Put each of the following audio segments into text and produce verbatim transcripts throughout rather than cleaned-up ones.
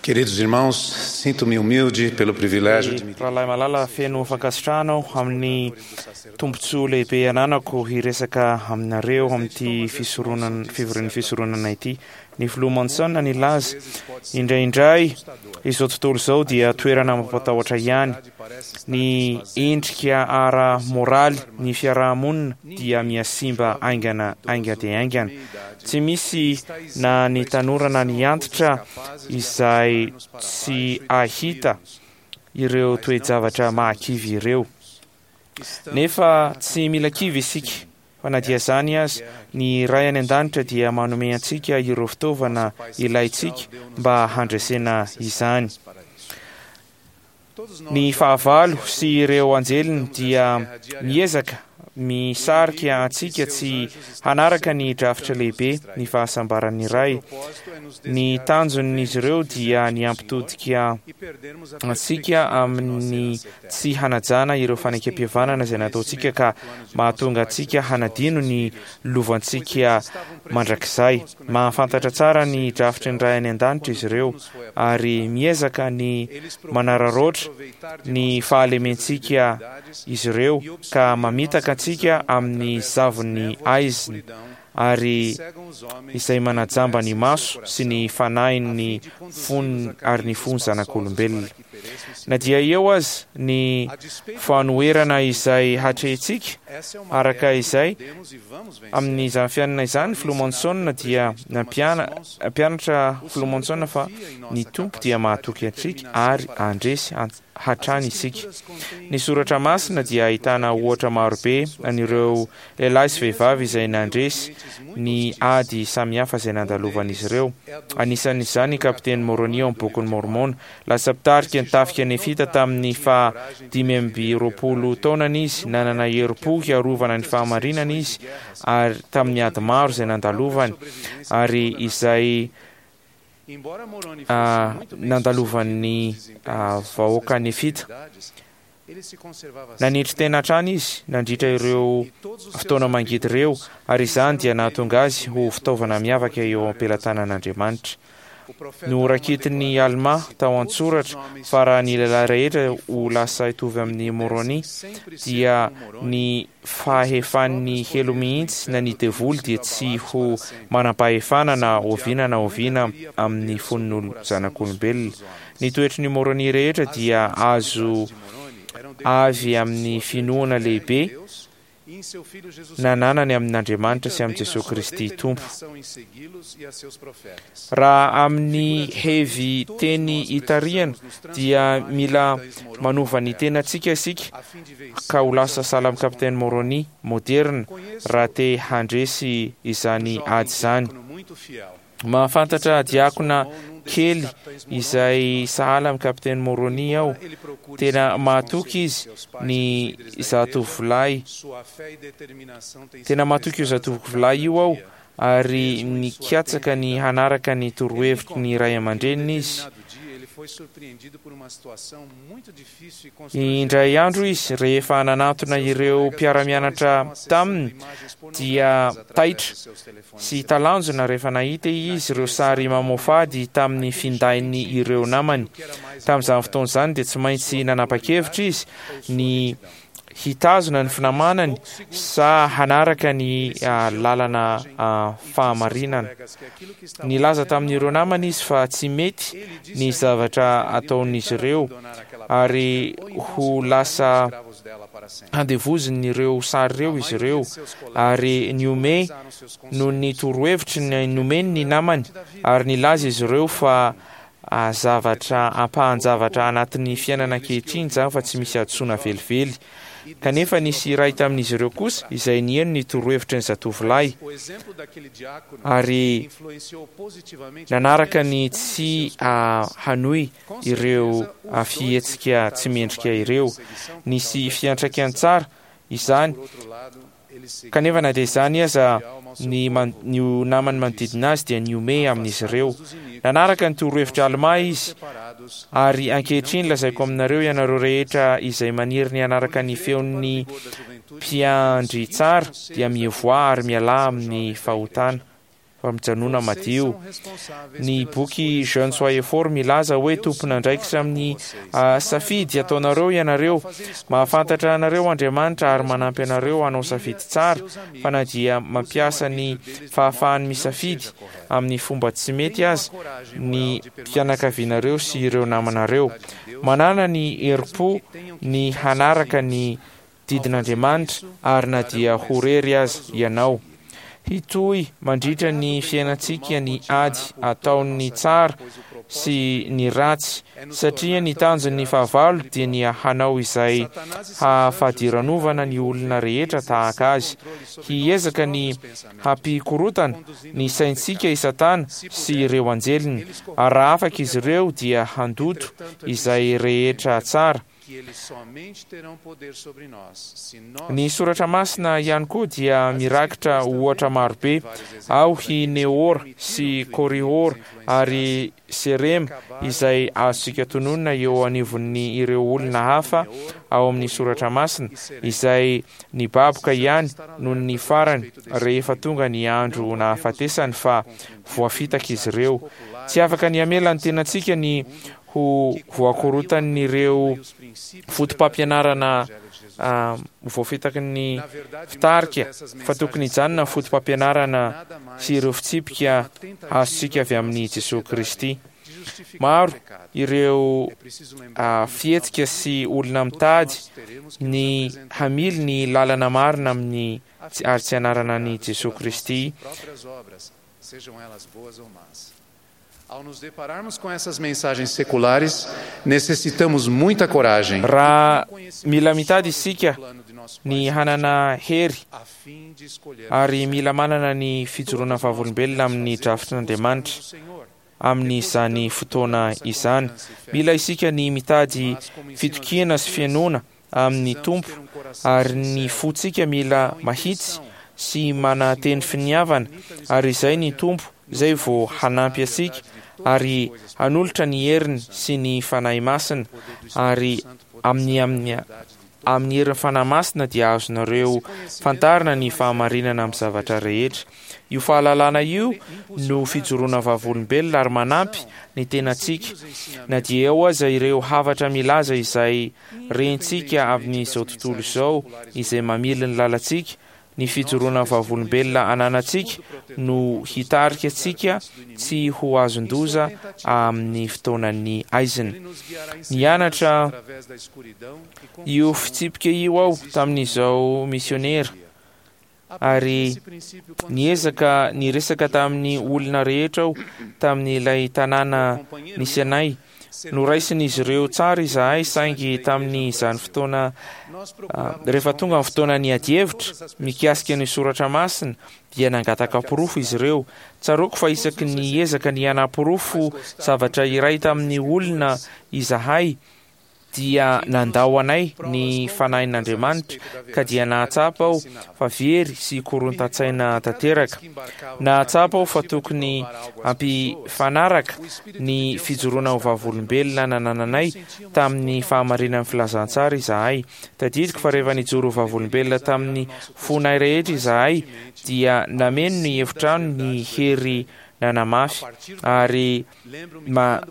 Queridos irmãos, sinto-me humilde pelo privilégio de me Rahalahy malala, feno fankasitrahana aho amin'ny tombontsoa lehibe ananako hiresaka aminareo amin'ity fisoronana fivorian'ny fisoronana ity. Ny filoha Monson nilaza: "Indraindray izao tontolo izao dia toerana mampatahotra ihany. Ny endrika ara-moraly ny fiarahamonina dia mihasimba haingana hainga dia haingana. Tsy misy na ny tanora na ny antitra izay tsy ahita ireo toe-javatra mahakivy ireo. Nefa tsy mila kivy isika. Fa na dia izany aza, ny Ray any an-danitra dia manome antsika ireo fitaovana ilaintsika mba handresena izany. Ny fahavalo sy ireo anjeliny dia miezaka misarika antsika tsy hanaraka ny drafitra lehibe ny fahasambaran'ny Ray. Ny tanjon'izy ireo dia ny hampitodika antsika amin'ny tsy hanajana ireo fanekempihavanana izay nataontsika ka mahatonga antsika hanadino ny lovantsika mandrakizay. Mahafantatra tsara ny drafitry ny Ray any an-danitra izy ireo ary miezaka ny manararaotra ny fahalementsika izy ireo ka mamitaka antsika amin'ny zavon'ny aizina ary izay manajamba ny maso sy ny fanahin'ny fony ary ny fony zanak'olombelona. Na dia eo aza ny fanoherana izay hatrehintsika araka izay amin'izany fiainana izany, filoha Monson dia nampianatra filoha Monson fa ny Tompo dia mahatoky antsika ary handresy hatrany isika. Ny soratra masina dia ahitana ohatra marobe an'ireo lehilahy sy vehivavy izay nandresy ny ady samihafa izay nandalovan'izy ireo. Anisan'izany kapiteny Moroni ao amin'ny bokin'ny Mormona. Lasa mpitarika ny tafika nefita tamin'ny faha dimy amby roapolo taonany izy. Nanana herim-po hiarovana ny fahamarinana izy ary tamin'ny ady maro izay nandalovany ary izay nandalovan'ny vahoaka nefita. Nanetry tena hatrany izy nandritra ireo fotoana mangidy ireo ary izany dia nahatonga azy ho fitaovana miavaka eo am-pelatanan'Andriamanitra. Noraketin'i Alma tao an-tsoratra fa raha ny lehilahy rehetra ho lasa hitovy amin'ny Moroni dia ny fahefan'ny helo mihitsy na ny devoly dia tsy ho manam-pahefana na oviana na oviana amin'ny fon'ny zanak'olombelona. Ny toetry ny Moroni rehetra dia azo avy amin'ny finoana lehibe nananany amin'Andriamanitra sy amin'i Jesosy Kristy Tompo. Raha amin'ny hevy teny itarihana dia mila manova ny tenantsika isika ka ho lasa sahala amin'ny kapiteny Moroni moderna raha te handresy izany ady izany. Mahafantatra diakona kely izay sahala amin'ny kapiteny Moroni aho. Tena mahatoky izy ny zatovolahy. Tena mahatoky io zatovolahy io aho ary nikatsaka ny hanaraka ny torohevitry ny ray aman-dreniny izy. Indray andro izy rehefa nanantona ireo mpiara-mianatra taminy dia taitra sy talanjona rehefa nahita izy ireo sary mamoafady tamin'ny findainy ireo namany. Tamin'izany fotoana izany dia tsy maintsy nanapa-kevitra izy ny hitazona ny finamanany sa hanaraka ny lalana fahamarinana. Nilaza tamin'ireo namany izy fa tsy mety ny zavatra ataon'izy ireo ary ho lasa handevozin'ireo sary ireo izy ireo ary nihomehy noho ny torohevitry ny nomeny ny namany ary nilaza izy ireo fa zavatra ampahan-javatra anatin'ny fiainana ankehitriny izany fa tsy misy hadisoana velively. Kanefa nisy iray tamin'izy ireo kosa izay nihaino ny torohevitry ny zatovolahy ary nanaraka ny tsy hanohy ireo fihetsika tsy mendrika ireo. Nisy fiantraikany tsara izany, kanefa na dia izany aza ny ny namany manodidina azy dia nihomehy amin'izy ireo. Nanaraka ny torohevitra Alma izy ary ankehitriny lazaiko aminareo ianareo rehetra izay maniry ny hanaraka ny feon'ny mpiandry tsara dia mivoaha ary mialà amin'ny fahotana. Fa mijanona madio. Ny boky Jeunes soyez forts milaza hoe tompon'andraikitra amin'ny safidy ataonareo ianareo. Mahafantatra anareo Andriamanitra ary manampy anareo hanao safidy tsara, fa na dia mampiasa ny fahafahany misafidy amin'ny fomba tsy mety aza ny fianakavianareo sy ireo namanareo. Manana ny herim-po ny hanaraka ny didin'Andriamanitra ary na dia ho rery aza ianao. Hitohy mandritra ny fiainantsika ny ady ataon'ny tsara sy ny ratsy, satria ny tanjon'ny fahavalo dia ny hanao izay hahafadiranovana ny olona rehetra tahaka azy. Hiezaka ny hampikorotana ny saintsika i Satana sy ireo anjeliny, ary raha afaka izy ireo dia handoto izay rehetra tsara. Ny soratra masina ihany koa dia mirakitra ohatra marobe ao i Neora sy Korihora ary Serema izay azontsika tononina eo anivon'ny ireo olona hafa ao amin'ny soratra masina izay nibaboka ihany noho ny farany rehefa tonga ny andro nahafatesany fa voafitaka izy ireo. Tsy afaka ny hamela ny tenantsika ny ho voakorotan'ireo fotopampianarana voafitaky ny fitarika, fa tokony hijanona ny fotopampianarana sy ireo fitsipika azontsika avy amin'i Jesosy Kristy. Maro ireo fihetsika sy olona mitady ny hamily ny lalana marina amin'ny ary tsy anarana an'i Jesosy Kristy. Ao nos depararmos com essas mensagens seculares, necessitamos muita coragem. Raha mila mitady isika ny hanana hery ary mila manana ny fijoroana vavolombelona amin'ny drafitr'Andriamanitra amin'izany fotoana izany. Mila isika ny mitady fitokiana sy fihainoana amin'ny Tompo ary ny fontsika mila mahitsy sy mananteny finiavana, ary izay ny Tompo izay vao hanampy antsika ary hanolotra ny heriny sy ny Fanahy Masina, ary amin'ny amin'ny amin'ny herin'ny Fanahy Masina dia azonareo fantarina ny fahamarinana amin'ny zavatra rehetra. Io fahalalana io no fijoroana vavolombelona ary manampy ny tenantsika na dia eo aza ireo hafatra milaza izay rentsika amin'izao tontolo izao izay mamily ny lalantsika. Ny fijoroana vavolombelona ananantsika no hitarika antsika tsy ho azon-doza amin'ny fotoanan'ny aizina. Nianatra io fitsipika io aho tamin'izao misionera ary niezaka niresaka tamin'ny olona rehetra aho tamin'ilay tanàna nisy anay. Noraisin'izy ireo tsara izahay, saingy tamin'izany fotoana rehefa tonga ny fotoana ny adihevitra mikasika ny soratra masina dia nangataka porofo izy ireo. Tsaroako fa isaky ny ezaka ny hanaporofo zavatra iray tamin'ny olona izahay dia nandao anay ny fanahin'Andriamanitra, ka dia nahatsapa aho fa very sy korontan-tsaina tanteraka. Nahatsapa aho fa tokony hampifanaraka ny fijoroana ho vavolombelona nanananay tamin'ny fahamarinan'ny filazantsara izahay. Tadidiko fa rehefa nijoro ho vavolombelona tamin'ny fonay rehetra izahay dia nameno ny efitrano ny hery nanamafy ary ma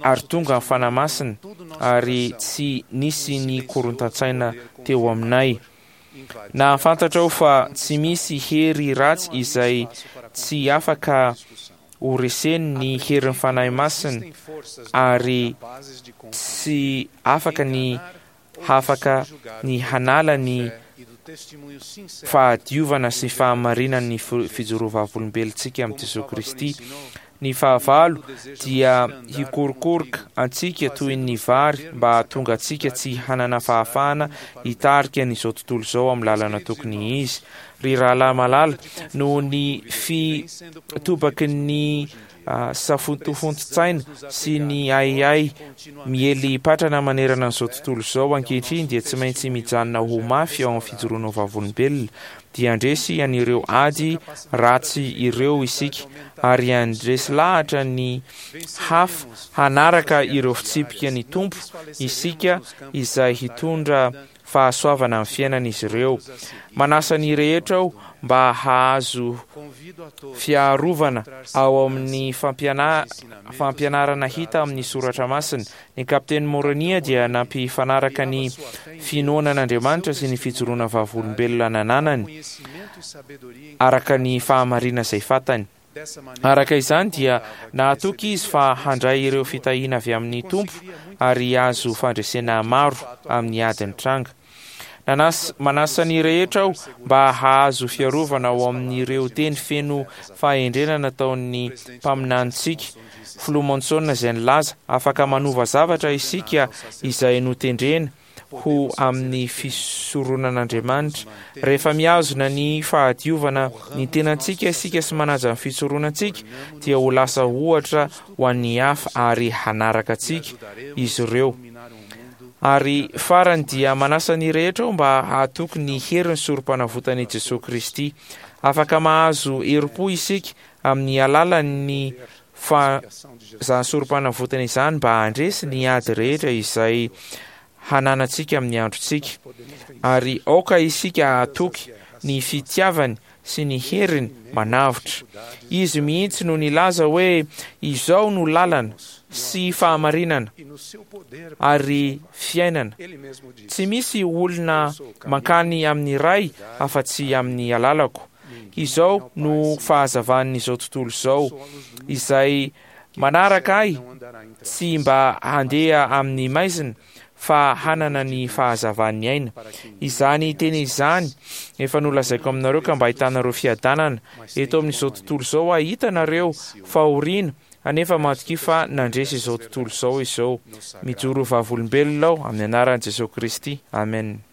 ary tonga ny Fanahy Masina ary tsy nisy ny korontan-tsaina teo aminay. Nahafantatra aho fa tsy misy hery ratsy izay tsy afaka ho reseny ny herin'ny Fanahy Masina ary tsy afaka ny hafaka ny hanala ny fahadiovana sy fahamarinan'ny fijoroana vavolombelontsika amin'i Jesosy Kristy. Ny fahavalo dia hikorokoroka antsika toy ny vary mba hahatonga antsika tsy hanana fahafahana hitarika an'izao tontolo izao amin'ny lalana tokony izy. Ry rahalahy malala, noho ny fitobaky ny safotofoton-tsaina sy ny ahiahy miely patrana manerana an'izao tontolo izao ankehitriny dia tsy maintsy mijanona ho mafy ao amin'ny fijoroana vavolombelona. Dia handresy an'ireo ady ratsy ireo isika ary handresy lahatra ny hafa hanaraka ireo fitsipika ny Tompo isika izay hitondra fahasoavana amin'ny fiainan'izy ireo. Manasa ny rehetra aho mba hahazo fiarovana ao amin'ny fampiana- fampianarana hita amin'ny soratra masina. Ny kapiteny Moronia dia nampifanaraka ny finoana an'Andriamanitra sy ny fijoroana vavolombelona nananany araka ny fahamarina izay fantany. Araka izany dia nahatoky izy fa handray ireo fitahiana avy amin'ny Tompo ary hahazo fandresena maro amin'ny ady nitranga. Nanas- manasa ny rehetra aho mba hahazo fiarovana ao amin'ireo teny feno fahendrena nataon'ny mpaminanintsika Filoha Monson izay nilaza: afaka manova zavatra isika izay notendrena ho amin'ny fisoronan'Andriamanitra. Rehefa mihazona ny fahadiovana ny tenantsika isika sy manaja ny fisoronantsika, dia ho lasa ohatra ho an'ny hafa ary hanaraka antsika izy ireo. Ary farany dia manasa ny rehetra aho mba hahatoky ny herin'ny sorom-panavotan'i Jesoa Kristy. Afaka mahazo herim-po isika amin'ny alalan'ny fa izany sorom-panavotana izany mba handresy ny ady rehetra izay hananantsika amin'ny androntsika. Ary aoka isika hahatoky ny fitiavany sy ny heriny manavotra. Izy mihitsy no nilaza hoe: izao no lalana sy fahamarinana ary fiainana. Tsy misy olona mankany amin'ny Ray afa-tsy amin'ny alalako. Izao no fahazavan'izao tontolo izao. Izay manaraka ahy tsy mba handeha amin'ny maizina fa hanana ny fahazavan'ny aina. Izany teny izany efa nolazaiko aminareo ka mba ahitanareo fiadanana. Eto amin'izao tontolo izao ahitanareo fahoriana, anefa matokia fa nandresy izao tontolo izao izao. Mijoro vavolombelona aho amin'ny anaran'i Jesoa Kristy. Amen.